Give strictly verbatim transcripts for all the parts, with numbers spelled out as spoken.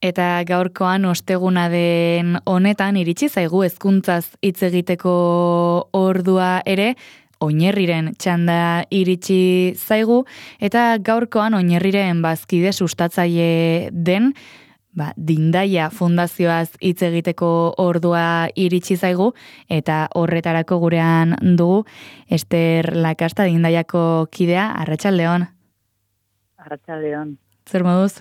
Eta gaurkoan osteguna den honetan iritsi zaigu hezkuntzaz hitz egiteko ordua ere, Oinerriren txanda iritsi zaigu, eta gaurkoan Oinerriren bazkide sustatzaile den, ba, Dindaia Fundazioaz hitz egiteko ordua iritsi zaigu, eta horretarako gurean dugu Ester Lakasta Dindaiako kidea. Arratsaldeon. Arratsaldeon. Zer moduz?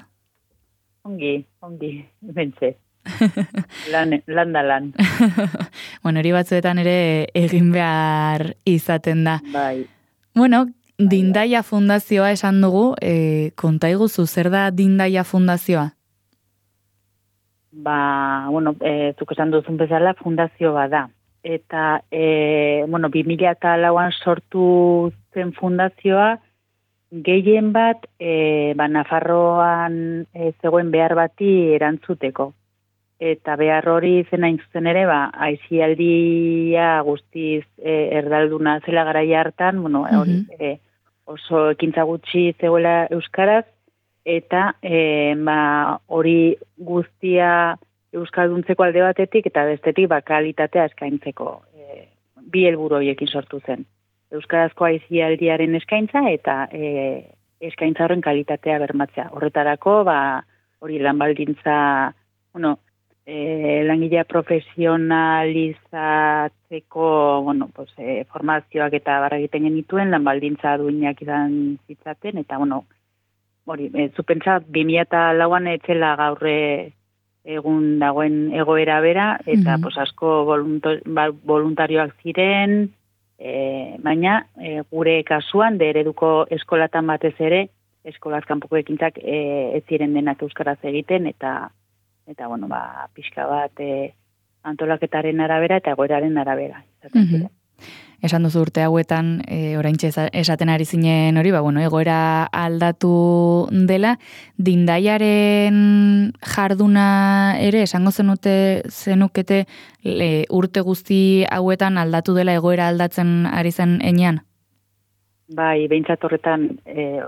Ongi, ongi, bentze. lan, lan da lan. Bueno, hori batzuetan ere egin behar izaten da. Bai. Bueno, Dindaia Fundazioa esan dugu, e, konta iguzu, zer da Dindaia Fundazioa? Ba, bueno, e, zuk esan duzun bezala fundazio bada. Eta, e, bueno, bi mila eta lauan sortu zen fundazioa, gehien bat, e, ba, Nafarroan e, zegoen behar bati erantzuteko. Eta behar hori zen hain zuzen ere, ba, aisialdia guztiz e, erdalduna zela garaia hartan, bueno, hori, e, oso ekintza gutxi zegoela euskaraz, eta e, ba, hori guztia euskalduntzeko alde batetik, eta bestetik ba, kalitatea eskaintzeko. E, bi helburu horiekin sortu zen. Euskarazko aisialdiaren eskaintza eta e, eskaintza horren kalitatea bermatzea. Horretarako, ba, hori lanbaldintza, bueno, e, langilea profesionalizatzeko, bueno, pues, e, formazioak eta barra egiten genituen, lanbaldintza duinak izan zitzaten, eta, bueno, hori, e, zupentsa, bi mila eta lauan etzela gaurre egun dagoen egoera bera, eta, mm-hmm. pues, asko voluntarioak ziren, E, baina e, gure kasuan de ereduko eskolatan batez ere eskolaz kanpoko ekintzak e, ez ziren denak euskaraz egiten eta eta bueno ba pixka bat e, antolaketaren arabera eta egoeraren arabera izaten ziren. Esan duzu urte hauetan e, oraintxe esaten ari zinen hori, ba bueno, egoera aldatu dela, Dindaiaren jarduna ere esango zenute zenukete le, urte guzti hauetan aldatu dela egoera aldatzen ari zen enean? Bai, behintzat horretan e,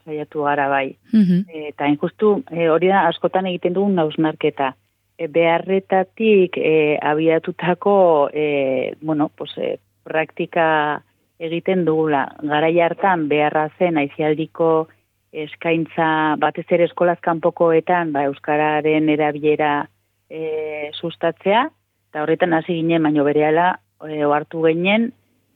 saiatu gara bai. Uh-huh. E, eta injustu e, hori da askotan egiten dugun hausnarketa. E, beharretatik e, abiatutako e, bueno, pues, e, praktika egiten dugula. Garai hartan beharra zen aisialdiko eskaintza batez ere eskolaz kanpokoetan ba, euskararen erabilera e, sustatzea, eta horretan hasi ginen, baino berehala e, ohartu ginen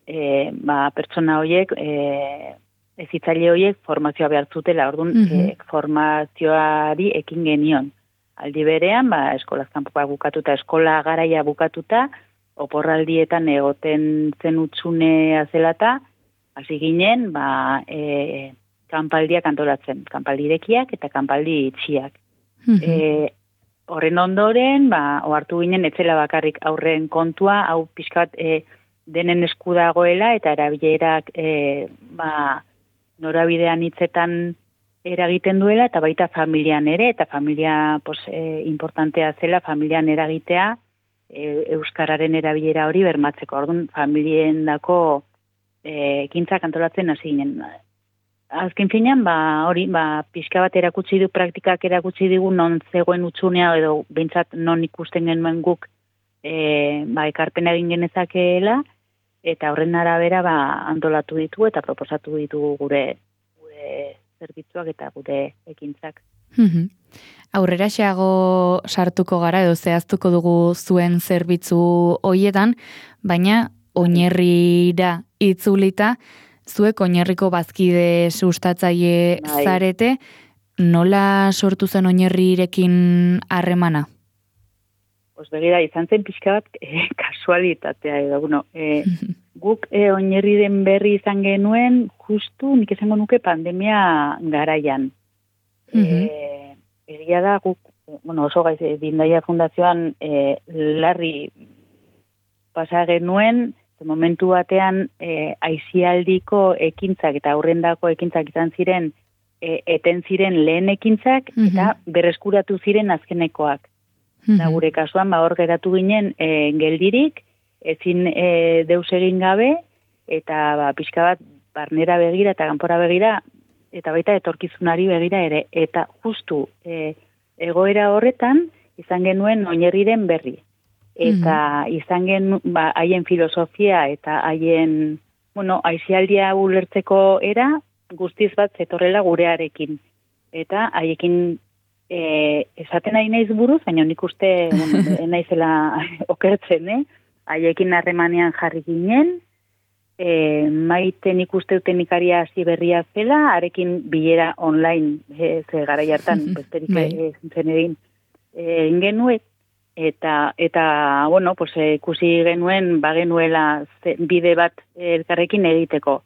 e, ba, pertsona horiek, e, ezitzaile horiek formazioa behar zutela, orduan mm-hmm. e, formazioari ekin genion. Aldi berean, ba, eskolaz kanpokoa bukatuta, eskola garaia bukatuta, oporraldietan egoten zen utxunea zelata, hasi ginen, ba, e, kanpaldiak antolatzen, kanpaldi irekiak eta kanpaldi itxiak. Mm-hmm. E, horren ondoren, ba, ohartu ginen, etzela bakarrik aurren kontua, hau pixkat e, denen esku dagoela, eta erabilerak e, ba, norabidean hitzetan eragiten duela, eta baita familian ere, eta familia pos, e, importantea zela, familian eragitea, euskararen erabilera hori bermatzeko. Orduan, familien dako e, ekintzak antolatzen hasi ginen. Azken finean, ba, hori, ba, pixka bat erakutsi du, praktikak erakutsi digu non zegoen utxunea, edo behintzat non ikusten genuen guk e, ba, ekarpena egin genezakeela, eta horren arabera ba, antolatu ditu eta proposatu ditu gure, gure zerbitzuak eta gure ekintzak. Mm-hmm. Aurrera xeago sartuko gara edo zehaztuko dugu zuen zerbitzu hoietan, baina Oinerrira itzulita, zuek Oinerriko bazkide sustatzaile Ai. zarete, nola sortu zen Oinerrirekin harremana? Pues begira, izan zen pixka bat eh, kasualitatea edo, bueno, eh, guk eh, Oinerriren berri izan genuen, justu nik esango nuke pandemia garaian. Mm-hmm. Eh, Egia da, guk, bueno, oso gaiz, Dindaia Fundazioan e, larri pasa genuen, momentu batean e, aisialdiko ekintzak eta aurrendako ekintzak izan ziren, e, eten ziren lehen ekintzak, mm-hmm. eta berreskuratu ziren azkenekoak. Mm-hmm. Da, gure kasuan, ba, hor geratu ginen e, geldirik, ezin e, deus egin gabe, eta ba, pixka bat barnera begira eta kanpora begira, eta baita etorkizunari begira ere, eta justu e, egoera horretan izan genuen oinarriren berri. Eta mm-hmm. izan gen, ba, haien filosofia eta haien, bueno, aizialdia ulertzeko era guztiz bat zetorrela gurearekin. Eta haiekin e, esaten nahi naiz buruz, baina nik uste bueno, naizela okertzen, eh? Haiekin harremanean jarri ginen, e, maite nik uste teknikaria hasi berria zela, arekin bilera online, e, ze gara jartan, besterik e, zen egin, egin genuet, eta, eta bueno, pues, e, ikusi genuen, bagenuela bide bat elkarrekin egiteko.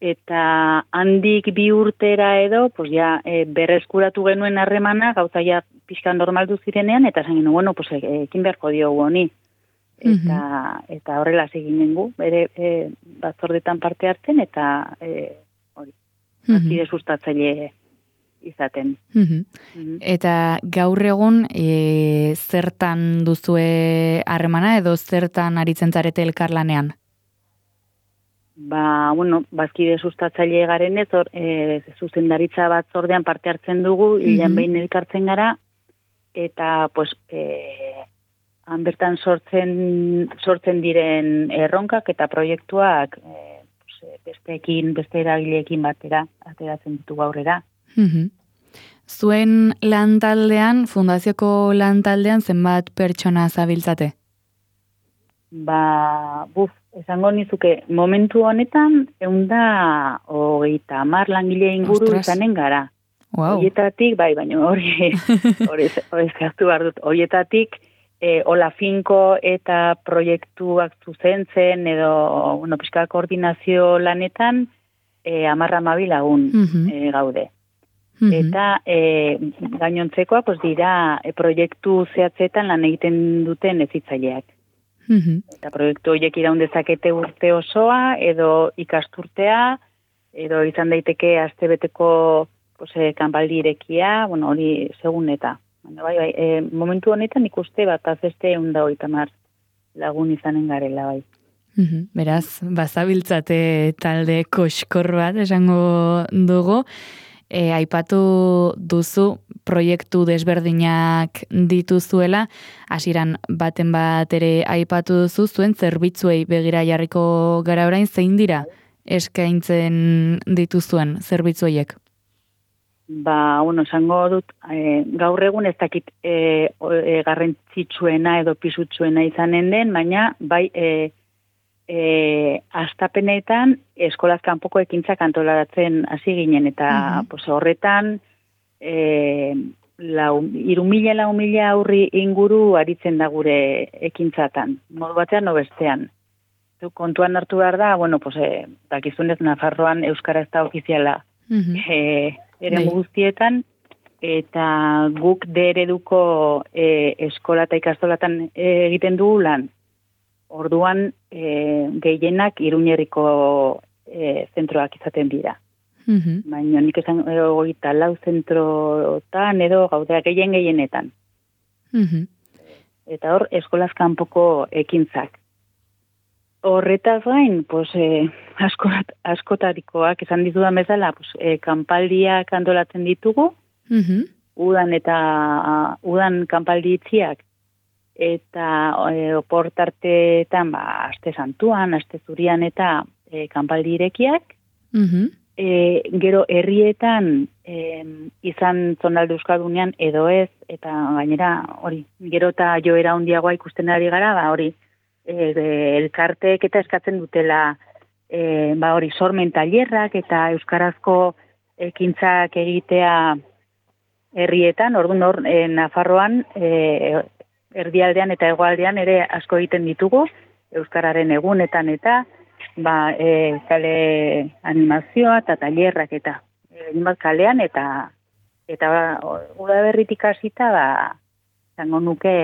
Eta handik bi urtera edo, pues ja, e, berreskuratu genuen harremana, gauza ja pixka normaldu zirenean, eta esan genuen, bueno, pues, ekin beharko diogu honi. Eta, mm-hmm. eta horrela zeginen gu, bere e, batzordetan parte hartzen, eta e, hori, mm-hmm. azide sustatzaile izaten. Mm-hmm. Mm-hmm. Eta gaur egun e, zertan duzue harremana edo zertan aritzen zarete elkarlanean? Ba, bueno, bazkide sustatzaile garen ez, or, e, zuzendaritza batzordean parte hartzen dugu, mm-hmm. hilan behin elkartzen gara, eta, pues, e, han bertan sortzen, sortzen diren erronkak eta proiektuak e, pues, besteekin, beste eragileekin batera, ateratzen ditu aurrera. Mm-hmm. Zuen lantaldean, fundazioko lantaldean zenbat pertsona zabiltzate? Ba, buf, esango nizuke, momentu honetan, eunda hogeita hamar langile inguru izanen gara. Wow. Hoietatik, bai, baina hori, hori ezkaztu behar dut, hoietatik, e, Ola Finko eta proiektuak zuzentzen, edo, bueno, pixka koordinazio lanetan, e, amarra mabi lagun mm-hmm. e, gaude. Mm-hmm. Eta e, gainontzekoa, pues, dira, e, proiektu zehatzetan lan egiten duten ezitzaileak. Mm-hmm. Eta proiektu horiek iraun dezakete urte osoa, edo ikasturtea, edo izan daiteke astebeteko pues, kanbaldi irekia, bueno, hori segun eta. Bai, bai, e, momentu honetan ikuste bat azeste eunda hogeita hamar lagun izanen garela, bai. Mm-hmm. Beraz, bazabiltzate talde koskor bat esango dugu. E, aipatu duzu proiektu desberdinak dituzuela, hasieran baten bat ere aipatu duzu zuen zerbitzuei begira jarriko gara orain, zein dira eskaintzen dituzuen zerbitzuiek? Ba, bueno, esango dut, e, gaur egun ez dakit e, e, garrantzitsuena edo pisutsuena izanen den, baina bai e, E, astapenetan eskolaz kanpoko ekintzak antolaratzen hasi ginen, eta mm-hmm. pues, horretan e, lau, iru mila, lau mila aurri inguru aritzen da gure ekintzatan, modu batean no bestean. Kontuan hartu behar da, bueno, pues, e, dakizunez Nafarroan Euskara ez da ofiziala mm-hmm. e, ere guztietan, eta guk de ereduko e, eskola eta ikastolatan e, egiten dugu lan. Orduan, e, gehienak Iruñerriko e, zentroak izaten dira. Mm-hmm. Baina nik esan goita lau zentrotan edo gaudea gehien gehienetan. Mm-hmm. Eta hor, eskolaz kanpoko ekintzak. Horretaz gain, pues, e, askot, askotarikoak esan dizudan bezala, pues, e, kanpaldiak antolatzen ditugu, mm-hmm. udan eta a, udan kanpaldi itziak, eta e, oportarteetan, ba, aste santuan, aste zurian eta e, kanpaldi irekiak. Mm-hmm. E, gero herrietan e, izan zonalde Euskaldunean edo ez, eta gainera hori, gero eta joera handiagoa ikusten ari gara, ba, hori, e, elkarteek eta eskatzen dutela e, ba, hori, sormen tailerrak eta euskarazko ekintzak egitea herrietan, orduan hor, e, Nafarroan, e, erdialdean eta hegoaldean ere asko egiten ditugu, euskararen egunetan eta ba, e, kale animazioa eta tailerrak eta egin bat kalean eta eta ba, udaberritik hasita ba, zango nuke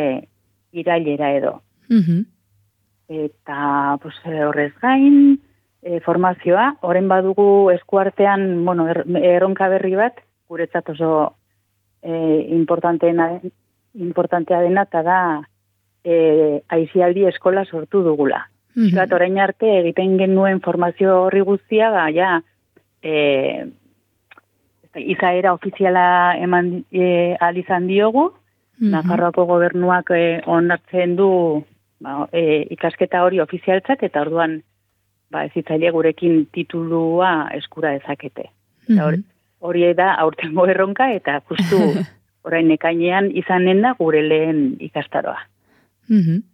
irailera edo. Mm-hmm. Eta pues, horrez gain, e, formazioa, horren badugu eskuartean, bueno, er, erronka berri bat, guretzat oso e, importanteena den, importantea dena, eta da e, aizialdi eskola sortu dugula. Mm-hmm. Bat, orain arte egiten genuen formazio horri guztia, ba, ja, e, ez izaera ofiziala eman e, alizan diogu, mm-hmm. Nafarroako gobernuak e, onartzen du ba, e, ikasketa hori ofizialtzat, eta orduan ba, ezitzaile gurekin titulua eskura dezakete. Mm-hmm. Hori da aurtengo erronka, eta justu orain ekainean izanen da gure lehen ikastaroa. Mm-hmm.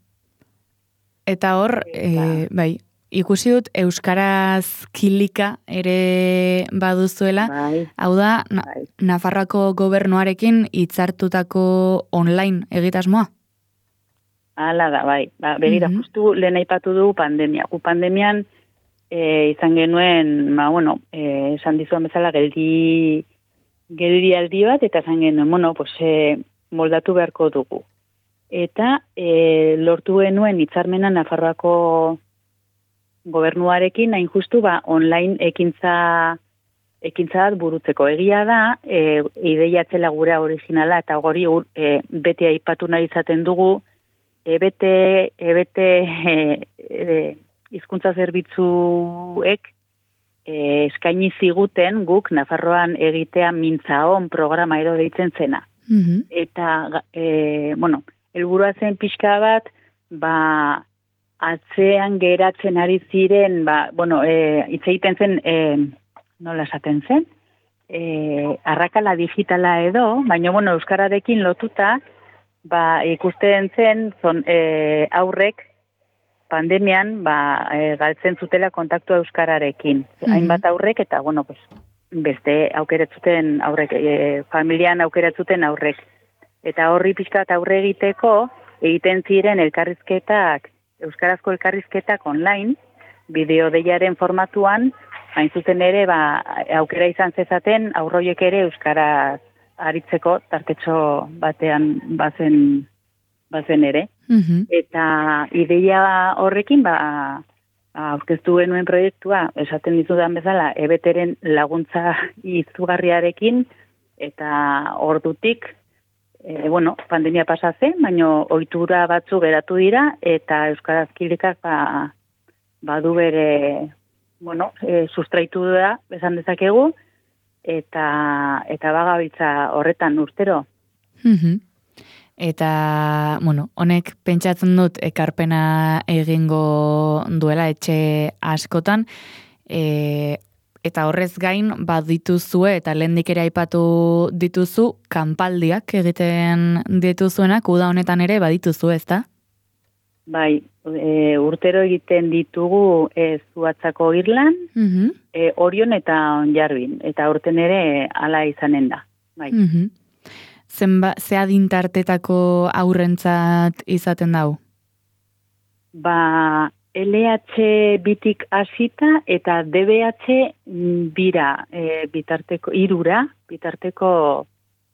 Eta hor, e, bai, ikusi dut euskaraz kilika ere baduzuela, bai, hau da, na, bai. Nafarroako gobernuarekin hitzartutako online egitasmoa? Hala da, bai. Ba, begira, mm-hmm. justu lehen aipatu du pandemia. Gu pandemian e, izan genuen, ba, bueno, e, esan dizuan bezala geldi, geldi aldi bat, eta izan genuen, bueno, pues, e, moldatu beharko dugu. Eta e, lortu genuen hitzarmena Nafarroako gobernuarekin, hain justu, ba, online ekintza, ekintza bat burutzeko. Egia da, e, ideiatzela gure originala, eta gori e, bete aipatu nahi izaten dugu, ebete, ebete e, e, hizkuntza zerbitzuek e, eskaini ziguten guk Nafarroan egitea mintzaon programa edo deitzen zena. Mm-hmm. Eta, e, bueno, helburua zen pixka bat, ba, atzean geratzen ari ziren, ba, bueno, e, hitz egiten zen, e, nola esaten zen, e, arrakala digitala edo, baina, bueno, euskararekin lotuta, ba, ikusten zen, zon, e, aurrek, pandemian, ba, e, galtzen zutela kontaktua euskararekin. Mm-hmm. Hainbat aurrek, eta, bueno, pues, beste aukeratzuten aurrek, e, familian aukeratzuten aurrek. Eta horri pixkat aurre egiteko, egiten ziren elkarrizketak, euskarazko elkarrizketak online, bideo deiaren formatuan, hain zuzen ere, ba, aukera izan zezaten, aurroiek ere euskara aritzeko tartetxo batean bazen, bazen ere. Mm-hmm. Eta ideia horrekin, ba, aurkeztu genuen proiektua, esaten dizudan bezala, ebeteren laguntza izugarriarekin, eta ordutik, E, bueno, pandemia pasatzen, baina ohitura batzu geratu dira, eta Euskaraz kilikak ba, badu bere, bueno, e, sustraitu da, esan dezakegu, eta, eta bagabiltza horretan urtero. Mm-hmm. Eta, bueno, honek pentsatzen dut ekarpena egingo duela etxe askotan, e, eta horrez gain, bat dituzue, eta lehendik ere aipatu dituzu, kanpaldiak egiten dituzuenak, uda honetan ere badituzu, ezta? Bai, e, urtero egiten ditugu e, Zuhatzako Irlan, mm-hmm. e, Orion eta Onjarbin, eta urten ere hala izanen da. Bai. Mm-hmm. Zenba, ze adintartetako aurrentzat izaten dau? Ba, L H bitik hasita eta D B H bira e, bitarteko irura bitarteko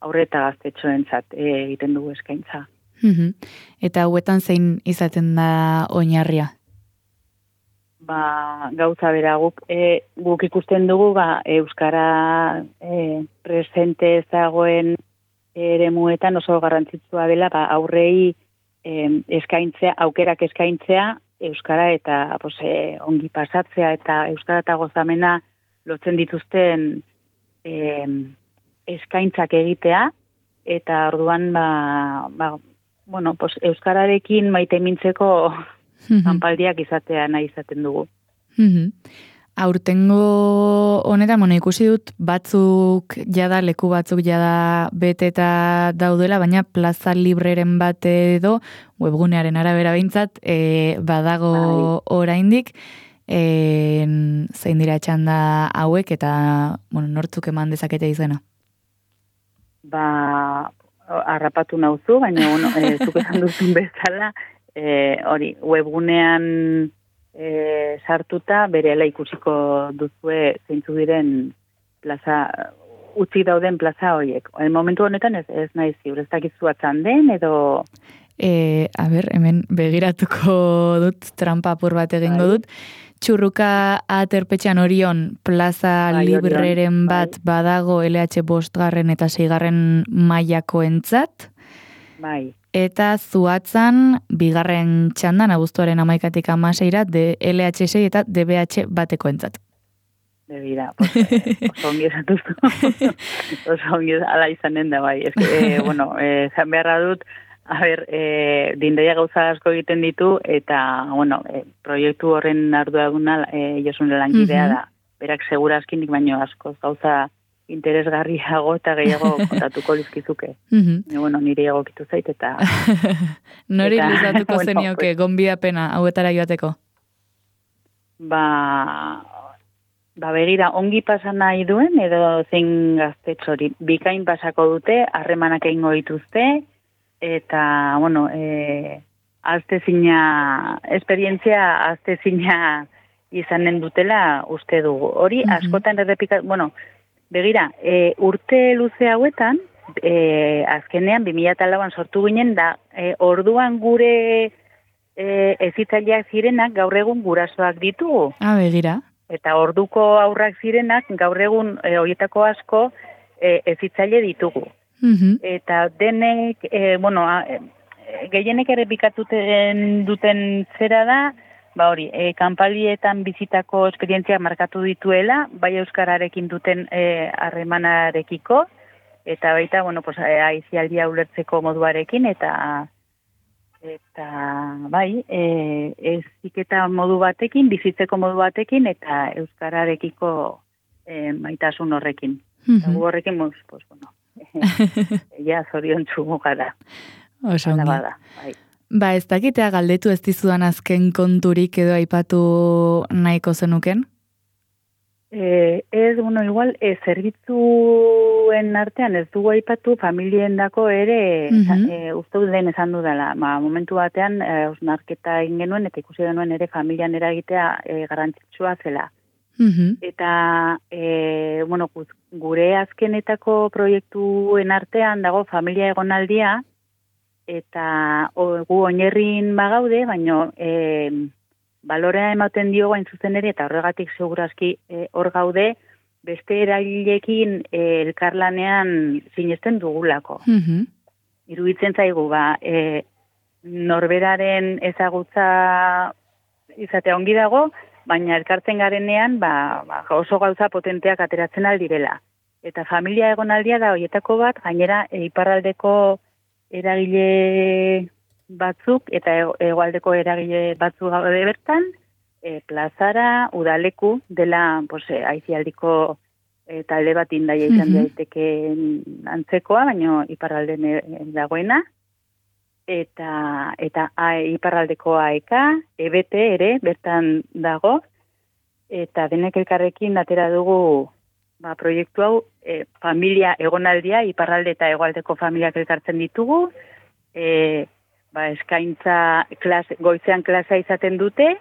aurreta gaztetxoentzat e, egiten dugu eskaintza. Mm-hmm. Eta hauetan zein izaten da oinarria? Ba, gauza bera guk e, guk ikusten dugu ba euskara e, presente ezagoen eremuetan oso garrantzitsua dela ba aurrei e, eskaintzea, aukerak eskaintzea euskara eta pues, eh, ongi pasatzea eta euskara eta gozamena lotzen dituzten eh, eskaintzak egitea, eta orduan ba, ba, bueno, pues, euskararekin maite mintzeko mm-hmm. kanpaldiak izatea nahi izaten dugu. Mm-hmm. Aurtengo honetan, bueno, ikusi dut batzuk jada, leku batzuk jada beteta daudela, baina plaza libreren bat edo, webgunearen arabera behintzat, e, badago bai. Oraindik, e, zein dira txanda hauek, eta bueno, nortzuk eman dezakete izena? Ba, harrapatu nauzu, baina bueno, e, zuk esan duzun bezala, e, hori, webgunean E, sartuta berehala ikusiko duzue zeintzu diren plaza, utzi dauden plaza horiek. En momentu honetan ez, ez nahi ziur, ez dakizu atzan den edo... E, a ber, hemen begiratuko dut, trampa apur bat egingo dut. Txurruka aterpetxean Orion plaza bai, libreren bat bai. Badago L H bostgarren eta seigarren mailako entzat. Bai. Eta Zuhatzan, bigarren txandan, abuztuaren amaikatik amaseira, de L H sei eta D B H bateko entzat. Begira, pues, eh, oso ongi esatuzu. Oso ongi ala izanen da, bai. Ez, eh, bueno, eh, zan beharra dut, a ber, eh, dindaia gauza asko egiten ditu, eta, bueno, eh, proiektu horren arduraduna eh, Josune langidea da. Berak segurazkinik baino askoz gauza interesgarriago eta gehiago kontatuko lizkizuke. Mhm. E, bueno, nire egokitu zait, eta... Nori eta, luzatuko bueno, zenioke, gonbidapena hauetara joateko? Ba, ba begira, ongi pasa nahi duen, edo zein gaztetxori, bikain pasako dute, harremanak egingo dituzte, eta, bueno, e, aztezina, esperientzia aztezina izanen dutela uste dugu. Hori, Mhm. askotan errepika, bueno, begira, e, urte luze hauetan, e, azkenean, bi mila lauan sortu ginen, da, e, orduan gure e, ezitzaileak zirenak gaur egun gurasoak ditugu. Ah, begira. Eta orduko aurrak zirenak gaur egun e, horietako asko e, ezitzaile ditugu. Mhm. Eta denek, e, bueno, a, e, gehienek errepikatuten duten zera da, ba hori, e, kanpalietan bizitako esperientziak markatu dituela, bai euskararekin duten harremanarekiko, eta baita, bueno, pues, e, aizialdia ulertzeko moduarekin, eta eta bai, e, eziketa modu batekin, bizitzeko modu batekin, eta euskararekiko e, maitasun horrekin. Eta gu horrekin, pues, pues, bueno, ja, zorion txugu gara. Oso ongi. Bada, bai. Ba, ez dakitea galdetu ez dizudan azken konturik edo aipatu nahiko zenuken? Eh, ez, bueno, igual, eh, zerbitzuen artean ez dugu aipatu familien dako ere, Mhm. eh, uste dut lehen esan dudala, ma, momentu batean, eh, osnarketa egin genuen, eta ikusi genuen ere familian eragitea eh, garrantzitsua zela. Mhm. Eta, eh, bueno, gure azkenetako proiektuen artean dago familia egonaldia, eta o, gu oinarrin bagaude, baino e, balorea ematen dio gain zuzen ere, eta horregatik segurazki e, hor gaude, beste erailekin e, elkarlanean sinesten dugulako. Mhm. Iruditzen zaigu, ba, e, norberaren ezagutza izatea ongi dago, baina elkartzen garenean ba, ba, oso gauza potenteak ateratzen aldirela. Eta familia egonaldia da horietako bat, gainera e, iparraldeko eragile batzuk eta hegoaldeko eragile batzuk gaude bertan, e, plazara, udaleku dela pues, e, aizialdiko e, talde bat indaia izan Mhm. daiteke antzekoa, baino iparralden e, dagoena, eta eta a, iparraldeko A E K, E B T ere bertan dago, eta denek elkarrekin atera dugu ba, proiektu hau, e, familia egonaldia, iparralde eta hegoaldeko familiak elkartzen ditugu, e, ba, eskaintza klase, goizean klasea izaten dute,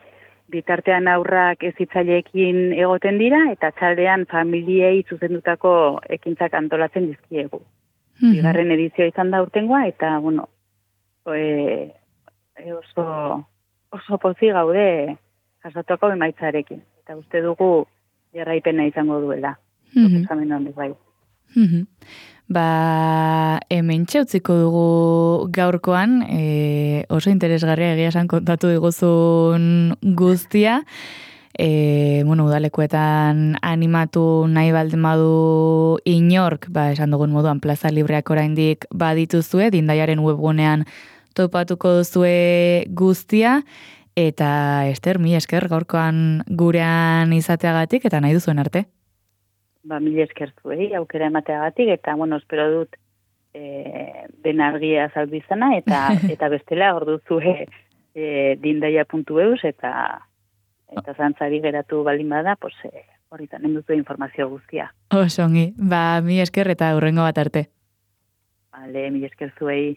bitartean aurrak ezitzaileekin egoten dira, eta txaldean familiei zuzendutako ekintzak antolatzen dizkiegu. Mhm. Bigarren edizioa izan da urtengoa, eta, bueno, e, e oso, oso pozi gaude jasatuako emaitzarekin. Eta uste dugu jarraipena izango duela. Mhm. Proposamen honek bai. Mhm. Ba, hemen txeutziko dugu gaurkoan, e, oso interesgarria egia esan kontatu diguzun guztia, e, bueno, udalekuetan animatu nahi baldin badu inork, ba, esan dugun moduan plaza libreak oraindik badituzue, Dindaiaren webgunean topatuko duzue guztia, eta Ester, mi esker gaurkoan gurean izateagatik, eta nahi duzuen arte. Ba, mila esker zuei, aukera emateagatik, eta, bueno, espero dut e, den argia zaldizana, eta eta bestela, hor duzue e, dindaia puntu eus, eta eta zantzari geratu baldin bada, pues, e, horritan enduzu informazio guztia. Oso ongi, ba, mi esker eta hurrengo bat arte. Vale, mila esker zuei.